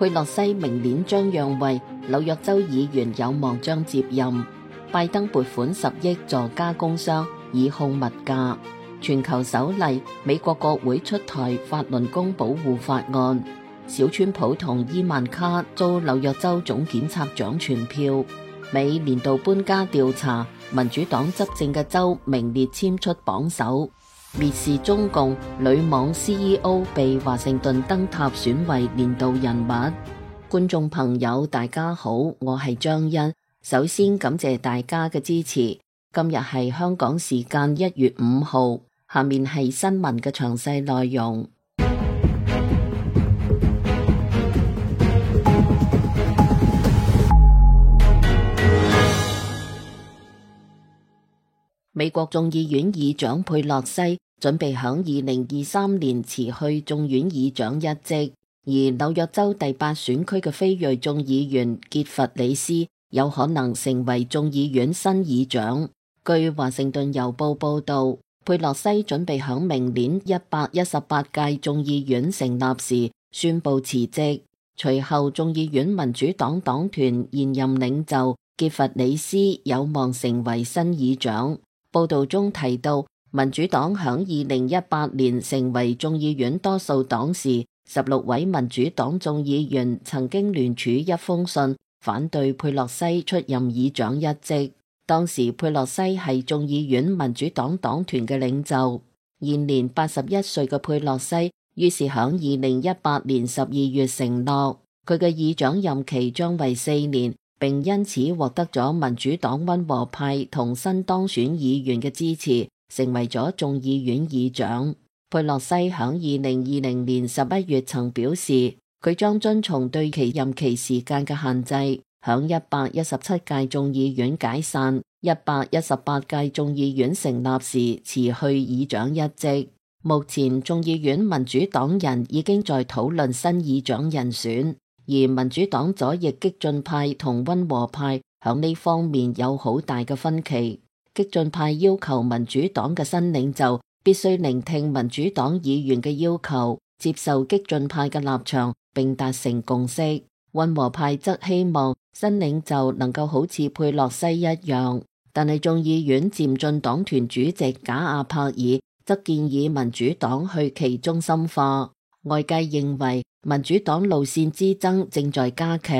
佩洛西明年將讓位，紐約州議員有望將接任。拜登撥款10億助加工商，以控物價。全球首例，美國國會出台法輪功保護法案。小川普同伊萬卡遭紐約州總檢察長傳票。美年度搬家調查，民主黨執政嘅州名列簽出榜首。蔑視中共，女網 CEO 被華盛頓燈塔選為年度人物。觀眾朋友大家好，我係張欣，首先感謝大家嘅支持。今日係香港時間1月5號，下面係新聞嘅詳細內容。美國眾議院議長佩洛西準備響2023年辭去眾院議長一職，而紐約州第8選區嘅非裔眾議員傑弗里斯有可能成為眾議院新議長。據華盛頓郵報報道，佩洛西準備響明年118屆眾議院成立時宣布辭職，隨後眾議院民主黨黨團現任領袖傑弗里斯有望成為新議長。報道中提到，民主黨響2018年成為眾議院多數黨時，16位民主黨眾議員曾經聯署一封信，反對佩洛西出任議長一職。當時佩洛西係眾議院民主黨黨團嘅領袖。現年81歲嘅佩洛西，於是響2018年12月承諾，佢嘅議長任期將為4年。並因此獲得咗民主黨溫和派同新當選議員嘅支持，成為咗眾議院議長。佩洛西響2020年11月曾表示，佢將遵從對其任期時間嘅限制，響117屆眾議院解散、118屆眾議院成立時辭去議長一職。目前眾議院民主黨人已經在討論新議長人選。而民主黨左翼激進派同溫和派響呢方面有好大嘅分歧。激進派要求民主黨嘅新領袖必須聆聽民主黨議員嘅要求，接受激進派嘅立場，並達成共識。溫和派則希望新領袖能夠好似佩洛西一樣，但係眾議院漸進黨團主席賈亞帕爾則建議民主黨去其中心化。外界認為民主黨路線之爭正在加劇。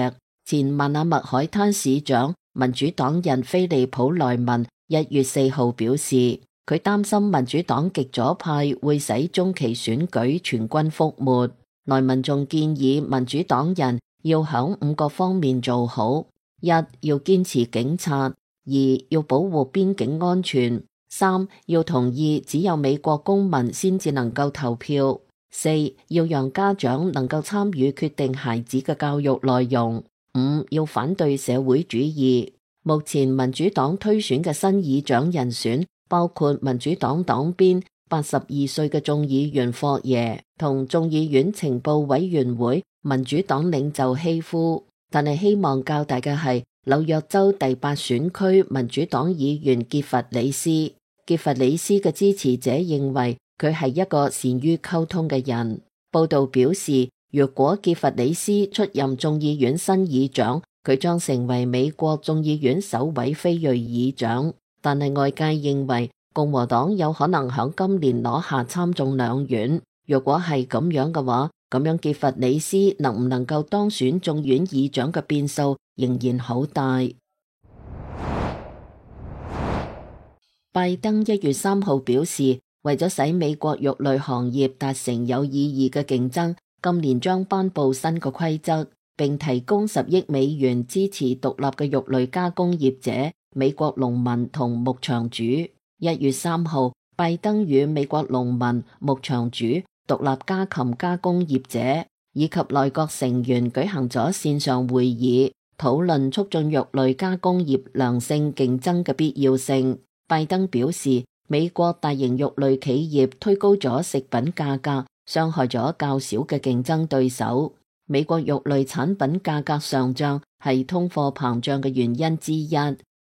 前曼阿密海灘市長民主黨人菲利普萊文1月4號表示，佢擔心民主黨極左派會使中期選舉全軍覆沒。萊文仲建議民主黨人要響5個方面做好：一、要堅持警察；二、要保護邊境安全；三、要同意只有美國公民先至能夠投票；四、要讓家長能夠參與決定孩子嘅教育內容；五、要反對社會主義。目前民主黨推選嘅新議長人選包括民主黨黨鞭82歲嘅眾議員霍耶同眾議院情報委員會民主黨領袖希夫，但係希望較大嘅係紐約州第8選區民主黨議員傑弗里斯。傑弗里斯嘅支持者認為佢係一個善於溝通嘅人。報道表示，若果傑弗里斯出任眾議院新議長，佢將成為美國眾議院首位非裔議長。但係外界認為共和黨有可能響今年攞下參眾兩院。若果係咁樣嘅話，咁樣傑弗里斯能唔能夠當選眾院議長嘅變數仍然好大。拜登1月3號表示，為咗使美國肉類行業達成有意義嘅競爭，今年將頒布新嘅規則，並提供10億美元支持獨立嘅肉類加工業者、美國農民同牧場主。1月3號，拜登與美國農民、牧場主、獨立家禽加工業者以及內閣成員舉行咗線上會議，討論促進肉類加工業良性競爭嘅必要性。拜登表示，美國大型肉類企業推高咗食品價格，傷害咗較少嘅競爭對手。美國肉類產品價格上漲係通貨膨脹嘅原因之一。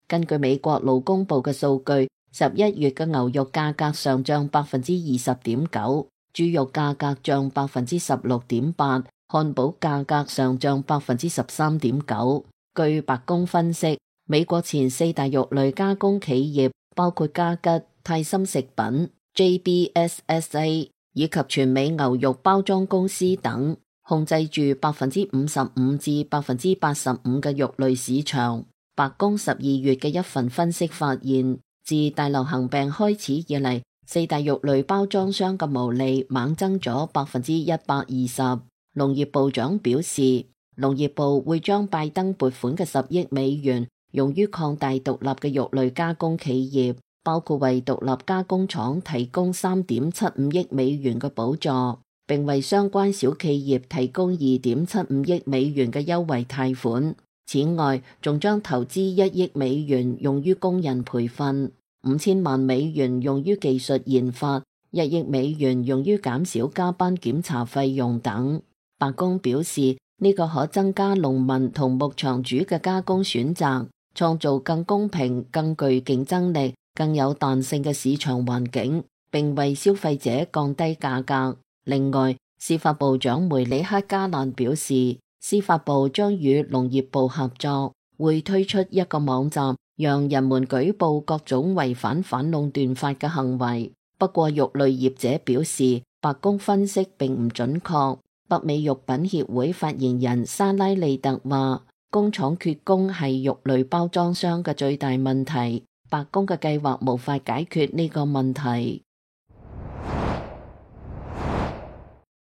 根據美國勞工部嘅數據，11月嘅牛肉價格上漲20.9%，豬肉價格漲16.8%，漢堡價格上漲13.9%。據白宮分析，美國前4大肉類加工企業包括嘉吉、泰森食品、JBSSA 以及全美牛肉包裝公司等，控制住55%至85%嘅肉類市場。白宮12月嘅一份分析發現，自大流行病開始以嚟，4大肉類包裝商嘅毛利猛增咗120%。農業部長表示，農業部會將拜登撥款嘅10億美元用於擴大獨立嘅肉類加工企業，包括為獨立加工廠提供3.75億美元嘅補助，並為相關小企業提供2.75億美元嘅優惠貸款。此外，仲將投資1億美元用於工人培訓，5000萬美元用於技術研發，1億美元用於減少加班檢查費用等。白宮表示，呢個可增加農民同牧場主嘅加工選擇，創造更公平、更具競爭力、更有彈性嘅市場環境，並為消費者降低價格。另外，司法部長梅里克加蘭表示，司法部將與農業部合作，會推出一個網站，讓人們舉報各種違反反壟斷法嘅行為。不過，肉類業者表示，白宮分析並唔準確。北美肉品協會發言人莎拉利特話，工廠缺工係肉類包裝商嘅最大問題，白宮嘅計劃無法解決呢個問題。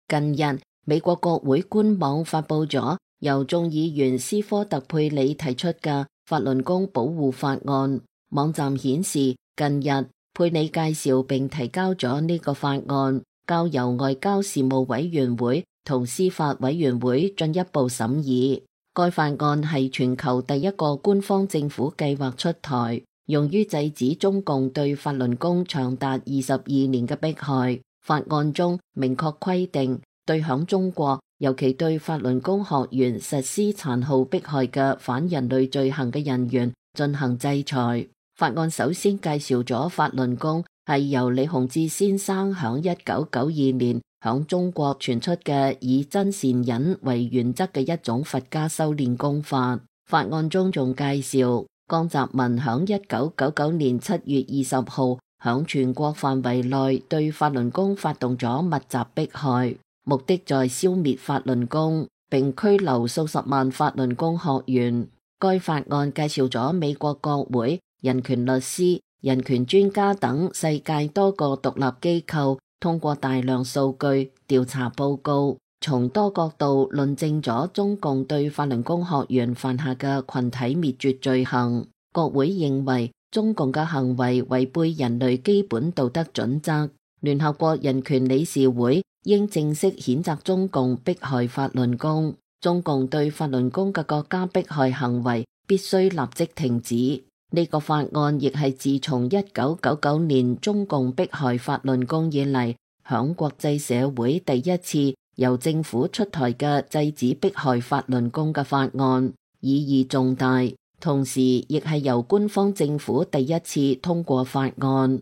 近日，美國國會官網發佈咗由眾議員斯科特佩里提出嘅法輪功保護法案。網站顯示，近日佩里介紹並提交咗呢個法案，交由外交事務委員會同司法委員會進一步審議。該法案係全球第一個官方政府計劃出台，用於制止中共對法輪功長達22年嘅迫害。法案中明確規定，對響中國，尤其對法輪功學員實施殘酷迫害嘅反人類罪行嘅人員進行制裁。法案首先介紹咗法輪功係由李洪志先生響1992年響中國傳出嘅以真善忍為原則嘅一種佛家修煉功法。法案中仲介紹江澤民響1999年7月20號響全國範圍內對法輪功發動咗密集迫害，目的在消滅法輪功，並拘留數十萬法輪功學員。該法案介紹咗美國國會、人權律師、人權專家等世界多個獨立機構通過大量數據調查報告，從多角度論證咗中共對法輪功學員犯下嘅群體滅絕罪行。國會認為中共嘅行為違背人類基本道德準則，聯合國人權理事會應正式譴責中共迫害法輪功。中共對法輪功嘅國家迫害行為必須立即停止。呢個法案亦係自從1999年中共迫害法輪功以嚟，響國際社會第一次由政府出台嘅制止迫害法輪功嘅法案，意義重大，同時亦係由官方政府第一次通過法案。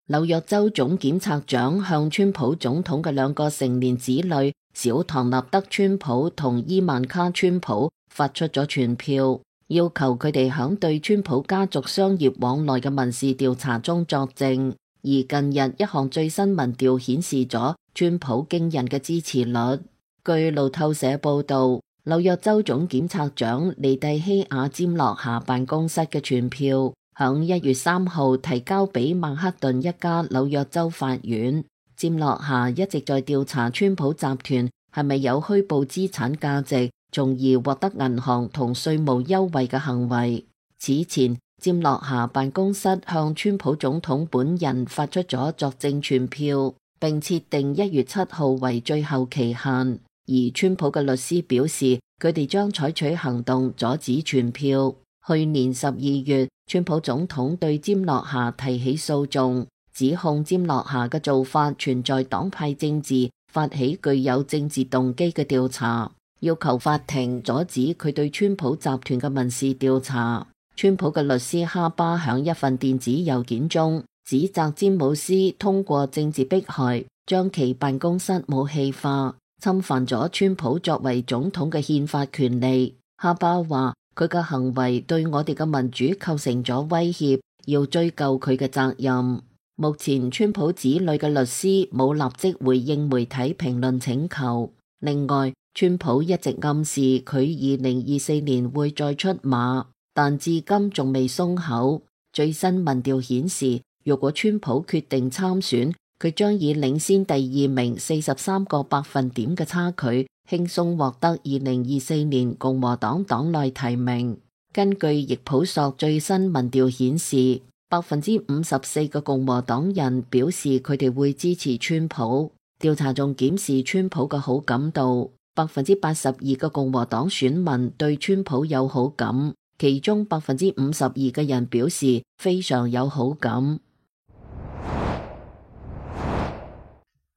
紐約州總檢察長向川普總統嘅2個成年子女小唐納德川普同伊萬卡川普發出咗傳票，要求佢哋響對川普家族商業往來嘅民事調查中作證。而近日一項最新民調顯示咗川普驚人嘅支持率。據路透社報道，紐約州總檢察長尼蒂希亞詹洛夏辦公室嘅傳票響1月3號提交俾曼克頓一家紐約州法院。詹洛夏一直在調查川普集團係咪有虛報資產價值，從而獲得銀行同稅務優惠嘅行為。此前，詹洛夏辦公室向川普總統本人發出咗作證傳票，並設定1月7號為最後期限。而川普嘅律師表示，佢哋將採取行動阻止傳票。去年12月，川普總統對詹洛夏提起訴訟，指控詹洛夏嘅做法存在黨派政治，發起具有政治動機嘅調查，要求法庭阻止佢對川普集團嘅民事調查。川普嘅律師哈巴響一份電子郵件中指責詹姆斯通過政治迫害將其辦公室武器化，侵犯咗川普作為總統嘅憲法權利。哈巴話佢嘅行為對我哋嘅民主構成咗威脅，要追究佢嘅責任。目前川普子女嘅律師冇立即回應媒體評論請求。另外，川普一直暗示佢2024年會再出馬，但至今仲未鬆口。最新民調顯示，若果川普決定參選，佢將以領先第二名43個百分點嘅差距，輕鬆獲得2024年共和黨黨內提名。根據易普索最新民調顯示，54%嘅共和黨人表示佢哋會支持川普。調查仲檢視川普嘅好感度，82%嘅共和黨選民對川普有好感，其中52%嘅人表示非常有好感。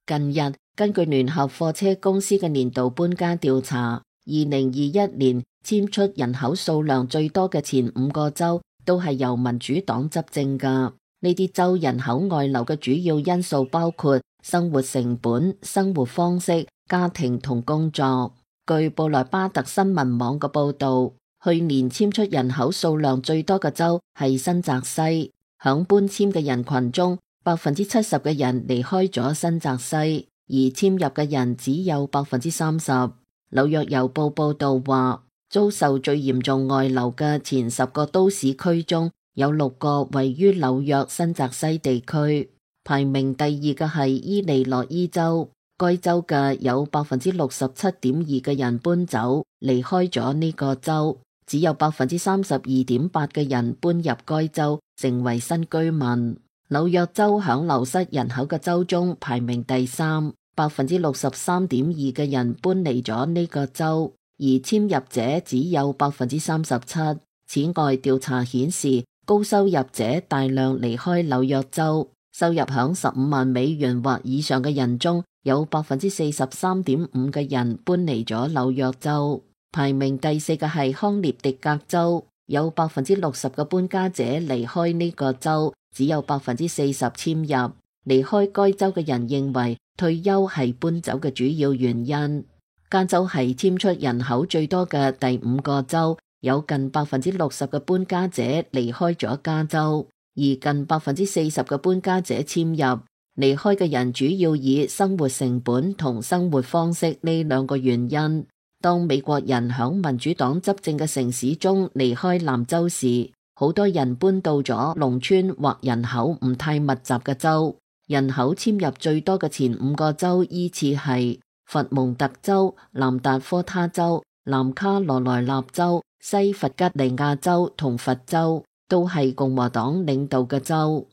近日，根據聯合貨車公司嘅年度搬家調查，2021年遷出人口數量最多嘅前5個州都係由民主黨執政㗎。呢啲州人口外流嘅主要因素包括生活成本、生活方式、家庭同工作。據布萊巴特新聞網嘅報導，去年遷出人口數量最多嘅州係新澤西。響搬遷嘅人群中，70%嘅人離開咗新澤西，而遷入嘅人只有30%。紐約郵報報導話，遭受最嚴重外流嘅前10個都市區中，有6個位於紐約新澤西地區。排名第2嘅係伊利諾伊州，該州嘅有67.2%嘅人搬走，離開咗呢個州，只有32.8%嘅人搬入該州，成為新居民。紐約州響流失人口嘅州中排名第3%，63.2%嘅人搬離咗呢個州，而遷入者只有37%。此外，調查顯示高收入者大量離開紐約州。收入響15萬美元或以上嘅人中，有43.5%嘅人搬離咗紐約州。排名第4嘅係康涅狄格州，有60%嘅搬家者離開呢個州，只有40%遷入。離開該州嘅人認為退休係搬走嘅主要原因。加州係遷出人口最多嘅第5個州，有近60%嘅搬家者離開咗加州。而近40%嘅搬家者遷入，離開嘅人主要以生活成本同生活方式呢2個原因。當美國人響民主黨執政嘅城市中離開南州時，好多人搬到咗農村或人口唔太密集嘅州。人口遷入最多嘅前5個州依次係佛蒙特州、南達科他州、南卡羅來納州、西弗吉尼亞州同佛州，都係共和黨領導嘅州。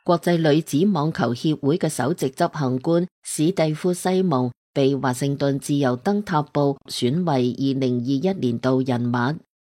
國際女子網球協會嘅首席執行官史蒂夫西蒙被華盛頓自由燈塔報選為2021年度人物，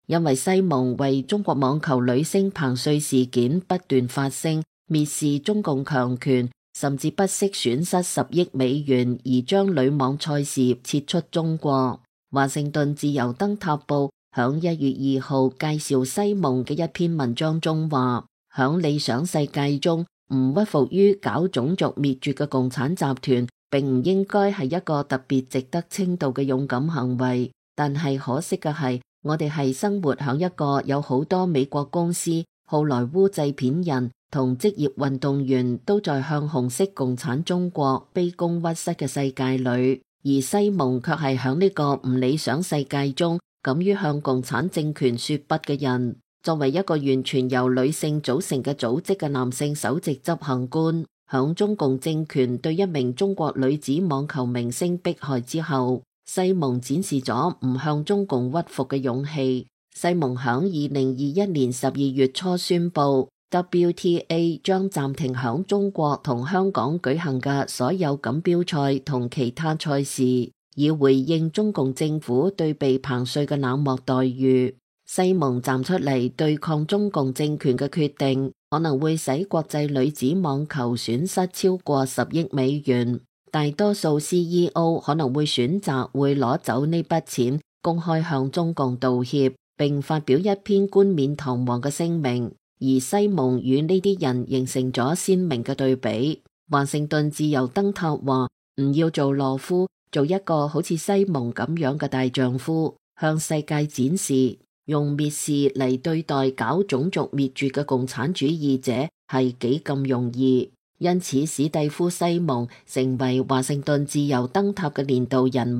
因為西蒙為中國網球女星彭帥事件不斷發聲，蔑視中共強權，甚至不惜損失10億美元而將女網賽事撤出中國。華盛頓自由燈塔報響1月2號介紹西蒙嘅一篇文章中話，響理想世界中，唔屈服於搞種族滅絕嘅共產集團，並唔應該係一個特別值得稱道嘅勇敢行為。但係可惜嘅係，我哋係生活響一個有好多美國公司、好萊塢製片人同職業運動員都在向紅色共產中國卑躬屈膝嘅世界裏，而西蒙卻係響呢個唔理想世界中敢於向共產政權說不嘅人。作為一個完全由女性組成嘅組織嘅男性首席執行官，響中共政權對一名中國女子網球明星迫害之後，西蒙展示咗唔向中共屈服嘅勇氣。西蒙響2021年12月初宣布 WTA 將暫停響中國同香港舉行嘅所有錦標賽同其他賽事，以回應中共政府對被彭帥嘅冷漠待遇。西蒙站出嚟對抗中共政權嘅決定，可能會使國際女子網球損失超過10億美元。大多數 CEO 可能會選擇會攞走呢筆錢，公開向中共道歉，並發表一篇冠冕堂皇嘅聲明。而西蒙與呢啲人形成咗鮮明嘅對比。華盛頓自由燈塔話唔要做懦夫，做一個好似西蒙咁樣嘅大丈夫，向世界展示用蔑視嚟對待搞種族滅絕嘅共產主義者係幾咁容易。因此史蒂夫西蒙成為華盛頓自由燈塔嘅年度人物。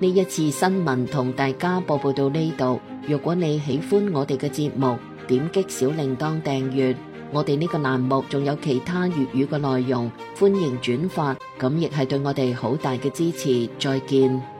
呢一次新聞同大家播報到呢度。如果你喜歡我哋嘅節目，點擊小鈴鐺訂閱。我哋呢個欄目仲有其他粵語嘅內容，歡迎轉發，咁亦係對我哋好大嘅支持。再見。